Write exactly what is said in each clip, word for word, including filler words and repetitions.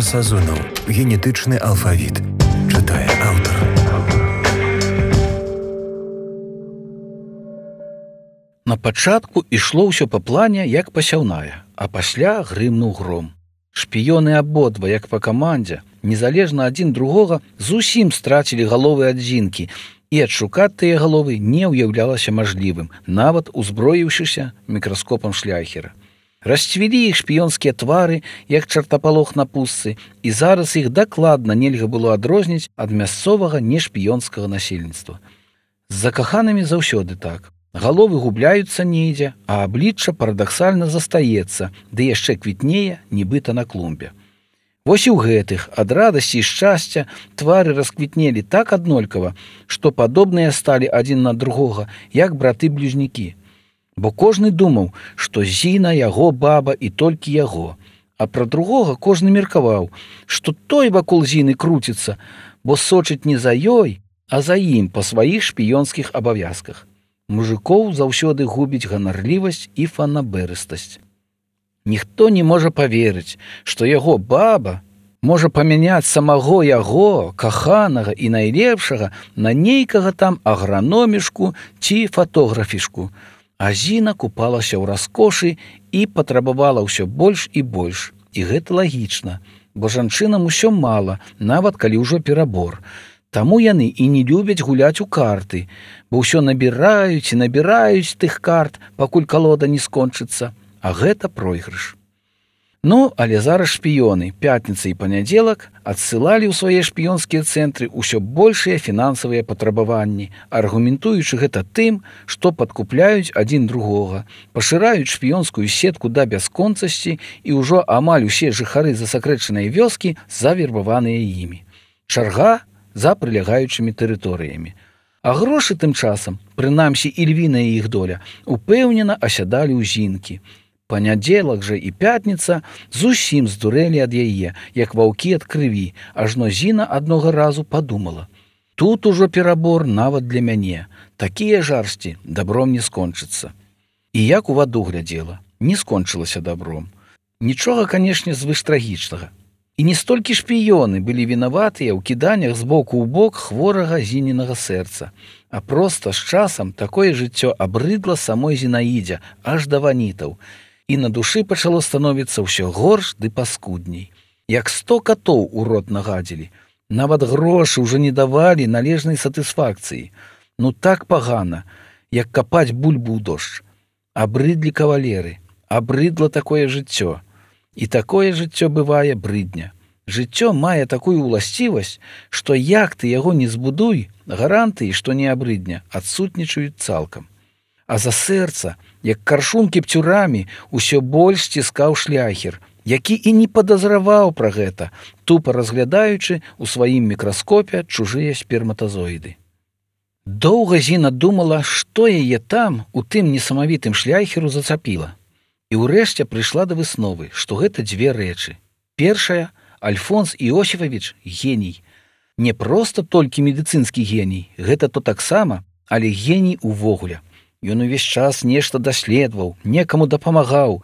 Сазонаў. Генетычны алфавіт. Чытае аўтар. На пачатку ішло ўсё па плане, як пасяўная, а пасля грымнуў гром. Шпіёны абодва, як па камандзе, незалежна адзін другога, зусім страцілі галовы адзінкі, і адшукаць тыя галовы не ўяўлялася мажлівым, нават узброіўшыся мікраскопам шляхера. Расцвілі іх шпіёнскія твары, як чартапалох на пустцы, і зараз іх дакладна нельга было адрозніць ад мясцовага нешпіёнскага насельніцтва. З закаханымі заўсёды так. Галовы губляюцца недзе, а аблічча парадаксальна застаецца, ды яшчэ квітнее, нібыта на клумбе. Вось і ў гэтых, ад радасці і шчасця, твары расквітнелі так аднолькава, што падобныя сталі адзін на другога, як браты-бліжнікі. Бо кожны думаў, што Зіна яго баба і толькі яго, а пра другога кожны меркаваў, што той вакол Зіны круціцца, бо сочыць не за ёй, а за ім па сваіх шпіёнскіх абавязках. Мужикоў заўсёды губіць ганарлівасць і фанаберыстасць. Ніхто не можа паверыць, што яго баба можа памяняць самого яго, каханага і найлепшага, на нейкага там аграномішку ці фатографішку. А Зіна купалася ў раскошы і патрабавала ўсё больш і больш. І гэта лагічна, бо жанчынам усё мала, нават калі ўжо перабор. Таму яны і не любяць гуляць у карты, бо ўсё набіраюць і набіраюць тых карт, пакуль калода не скончыцца, а гэта пройгрыш. Ну, але зараз шпіёны, пятніца і панядзелак, адсылалі ў свае шпіёнскія цэнтры ўсё большыя фінансавыя патрабаванні, аргументуючы гэта тым, што падкупляюць адзін другога, пашыраюць шпіёнскую сетку да бясконцасці і ўжо амаль усе жыхары засакрэчанай вёскі завербаваныя імі. Чарга за прылягаючымі тэрыторыямі. А грошы тым часам, прынамсі ільвіная іх доля, упэўнена асядалі ў Зінкі. Панядзелак жа і пятніца зусім здурэлі ад яе, як ваўкі ад крыві, ажно Зіна аднога разу падумала. Тут ужо перабор нават для мяне. Такія жарсці дабром не скончыцца. І як у ваду глядзела, не скончылася дабром. Нічога, канешне, звыштрагічнага. І не столькі шпіёны былі вінаватыя ў кіданнях з боку ў бок хворага Зінінага сэрца, а проста з часам такое жыццё абрыдла самой Зінаідзе, аж да ванітаў, і на душы пачало становіцца ўсё горш ды паскудней. Як сто катоў у рот нагадзілі, нават грошы ўжо не давалі належнай сатысфакцыі. Ну так пагана, як капаць бульбу ў дождж. Абрыдлі кавалеры, абрыдла такое жыццё. І такое жыццё бывае брыдня. Жыццё мае такую ўласцівасць, што як ты яго не збудуй, гарантыі, што не абрыдня, адсутнічаюць цалкам. А за сэрца, як каршун кіпцюрамі, усё больш сціскаў шляхер, які і не падазраваў пра гэта, тупа разглядаючы ў сваім мікраскопе чужыя сперматазоіды. Доўга Зіна думала, што яе там, у тым несамавітым шляхеру зацапіла. І ўрэшце прыйшла да высновы, што гэта дзве рэчы. Першая, Альфонс Іосіфавіч геній. Не проста толькі медыцынскі геній, гэта то таксама, але геній увогуле. Ён увесь час нешта даследаваў, некаму дапамагаў.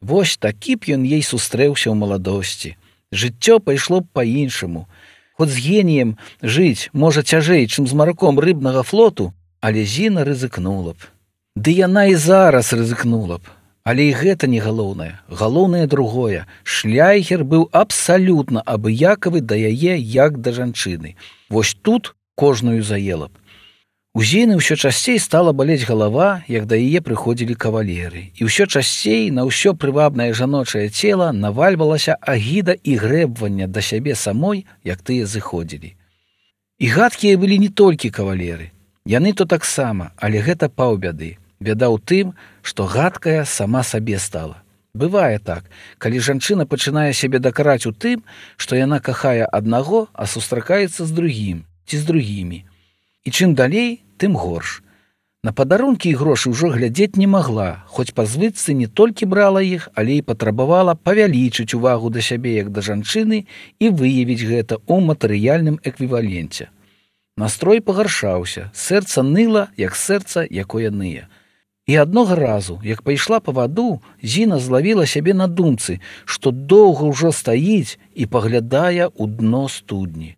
Вось такі б ён ей сустрэўся ў маладосці. Жыццё пайшло б па-іншаму. Хоць з геніем жыць можа цяжэй, чым з мараком рыбнага флоту, але Зіна рызыкнула б. Ды яна і зараз рызыкнула б. Але і гэта не галоўнае. Галоўнае другое. Шляхер быў абсалютна абыякавы да яе, як да жанчыны. Вось тут кожную заела б. У Зіны ўсё часцей стала балець галава, як да яе прыходзілі кавалеры. І ўсё часцей на ўсё прывабнае жаночае цела навальвалася агіда і грэбванне да сябе самой, як тыя зыходзілі. І гадкія былі не толькі кавалеры. Яны то таксама, але гэта паўбяды. Бяда ў тым, што гадкая сама сабе стала. Бывае так, калі жанчына пачынае сябе дакараць у тым, што яна кахае аднаго, а сустракаецца з другім ці з другімі. І чым далей, тым горш. На падарункі і грошы ўжо глядзець не магла, хоць па звычцы не толькі брала іх, але і патрабавала павялічыць увагу да сябе як да жанчыны і выявіць гэта ў матэрыяльным эквіваленце. Настрой пагаршаўся, сэрца ныла, як сэрца, якое ные. І аднога разу, як пайшла па ваду, Зіна злавіла сябе на думцы, што доўга ўжо стаіць і паглядае ў дно студні.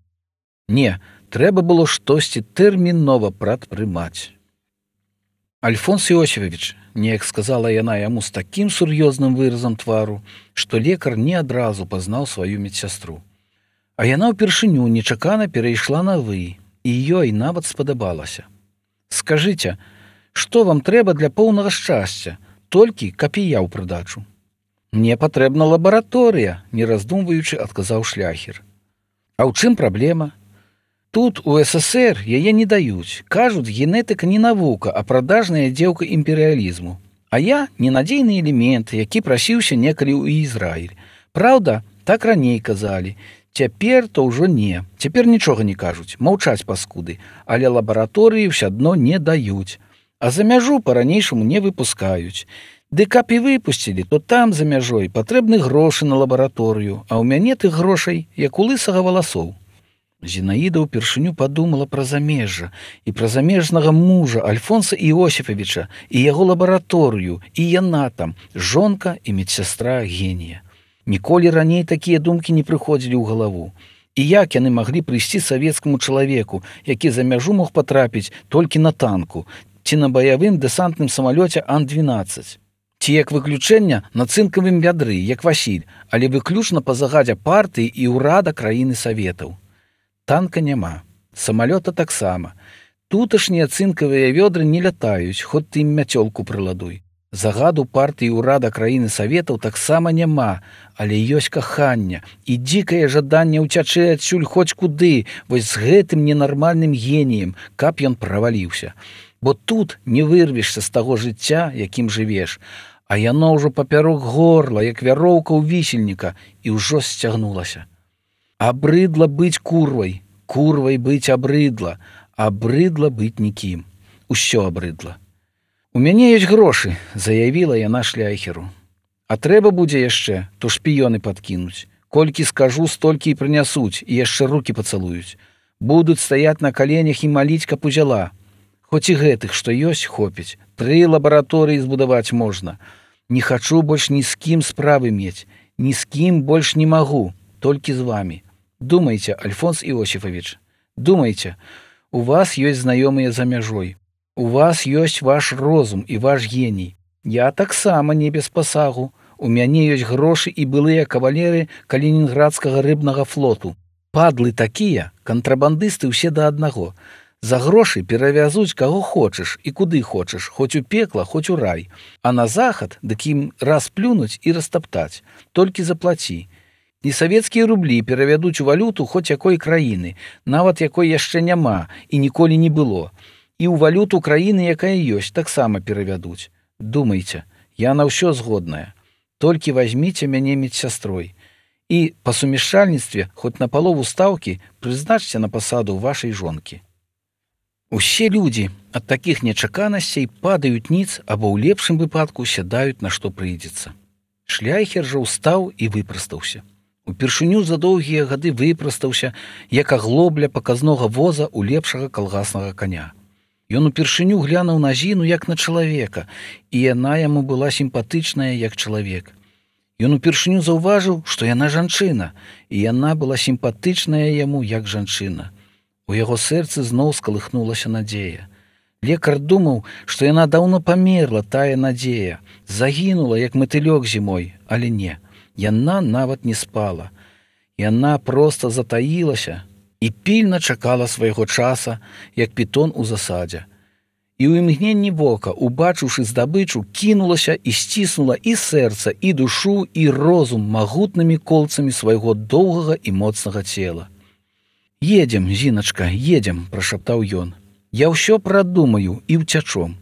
Не, трэба было штосьці тэрмінова прадпрымаць. Альфонс Іосіфавіч, неяк сказала яна яму з такім сур'ёзным выразам твару, што лекар не адразу пазнаў сваю медсястру. А яна ўпершыню нечакана перайшла на вы, і ёй нават спадабалася. Скажыце, што вам трэба для поўнага шчасця, толькі каб і я ў прыдачу? Мне патрэбна лабараторыя, не раздумваючы, адказаў шляхер. А ў чым праблема? Тут у СССР яе не даюць. Кажуць, генетыка не навука, а прадажная дзеўка імперыялізму. А я ненадзейны элемент, які прасіўся некалі ў Ізраіль. Праўда, так раней казалі. Цяпер то ўжо не. Цяпер нічога не кажуць, маўчаць паскуды, але лабараторыі ўсё адно не даюць. А за мяжу па-ранейшаму не выпускаюць. Ды каб і выпусцілі, то там за мяжой патрэбны грошы на лабараторыю, а ў мяне тых грошай, як у лысага валасоў. Зінаіда ўпершыню падумала пра замежжа і пра замежнага мужа Альфонса Іосіфавіча і яго лабараторыю, і яна там, жонка і медсястра генія. Ніколі раней такія думкі не прыходзілі ў галаву. І як яны маглі прыйсці савецкаму чалавеку, які за мяжу мог патрапіць толькі на танку ці на баявым дэсантным самалёце Ан двенаццаць? Ці як выключэння на цынкавым вядры, як Васіль, але выключна па загадзе партыі і ўрада краіны Саветаў. Танка няма, самалёта таксама. Туташнія цынкавыя вёдры не лятаюць, хоць ты ім мяцёлку прыладуй. Загаду партыі ўрада краіны Саветаў таксама няма, але ёсць каханне і дзікае жаданне ўцячы адсюль хоць куды, вось з гэтым ненармальным геніем, каб ён праваліўся. Бо тут не вырвешся з таго жыцця, якім жывеш, а яно ўжо папярок горла, як вяроўка ў вісельніка, і ўжо сцягнулася. Абрыдла быць курвай, курвай быць абрыдла, абрыдла быць нікім. Усё абрыдла. У мяне ёсць грошы, заявіла яна шляхеру. А трэба будзе яшчэ, то шпіёны падкінуць. Колькі скажу, столькі і прынясуць, і яшчэ рукі пацалуюць. Будуць стаяць на каленях і маліць, каб узяла. Хоць і гэтых, што ёсць, хопіць. Тры лабараторыі збудаваць можна. Не хачу больш ні з кім справы мець, ні з кім больш не магу, толькі з вамі. Думайце, Альфонс Іосіфавіч, думайце, у вас ёсць знаёмыя за мяжой. У вас ёсць ваш розум і ваш геній. Я таксама не без пасагу. У мяне ёсць грошы і былыя кавалеры калінінградскага рыбнага флоту. Падлы такія, кантрабандысты ўсе да аднаго. За грошы перавязуць каго хочаш і куды хочаш, хоць у пекла, хоць у рай. А на захад, дык ім раз плюнуць і растаптаць. Толькі заплаці. І савецкія рублі перавядуць у валюту хоць якой краіны, нават якой яшчэ няма і ніколі не было. І ў валюту краіны, якая ёсць, таксама перавядуць. Думайце, я на ўсё згодная. Толькі вазьміце мяне медсястрой. І па сумяшчальніцтве, хоць на палову стаўкі, прызначце на пасаду вашай жонкі. Усе людзі ад такіх нечаканасцей падаюць ніц або ў лепшым выпадку сядаюць на што прыйдзецца. Шляхер жа ўстаў і выпрастаўся. Упершыню за доўгія гады выпрастаўся, як аглобля паказнога воза ў лепшага калгаснага каня. Ён упершыню глянуў на Зіну як на чалавека, і яна яму была сімпатычная як чалавек. Ён упершыню заўважыў, што яна жанчына, і яна была сімпатычная яму як жанчына. У яго сэрцы зноў скалыхнулася надзея. Лекар думаў, што яна даўно памерла, тая надзея, загінула, як матылёк зімой, але не. Яна нават не спала. Яна проста затаілася і пільна чакала свайго часа, як пітон у засадзе. І ў імгненні вока, убачыўшы здабычу, кінулася і сціснула і сэрца, і душу, і розум магутнымі колцамі свайго доўгага і моцнага цела. «Едзем, Зіначка, едзем», – прашаптаў ён. «Я ўсё прадумаю і ўцячом.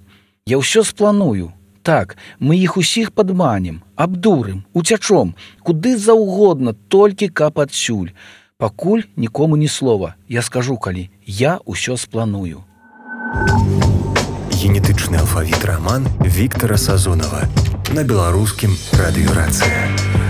Я ўсё спланую. Так, мы іх усіх падманем, абдурым, уцячом, куды заўгодна, толькі каб адсюль. Пакуль нікому ні слова. Я скажу калі, я ўсё спланую». Генетычны алфавіт раман Віктара Сазонава на беларускім радыёрацыя.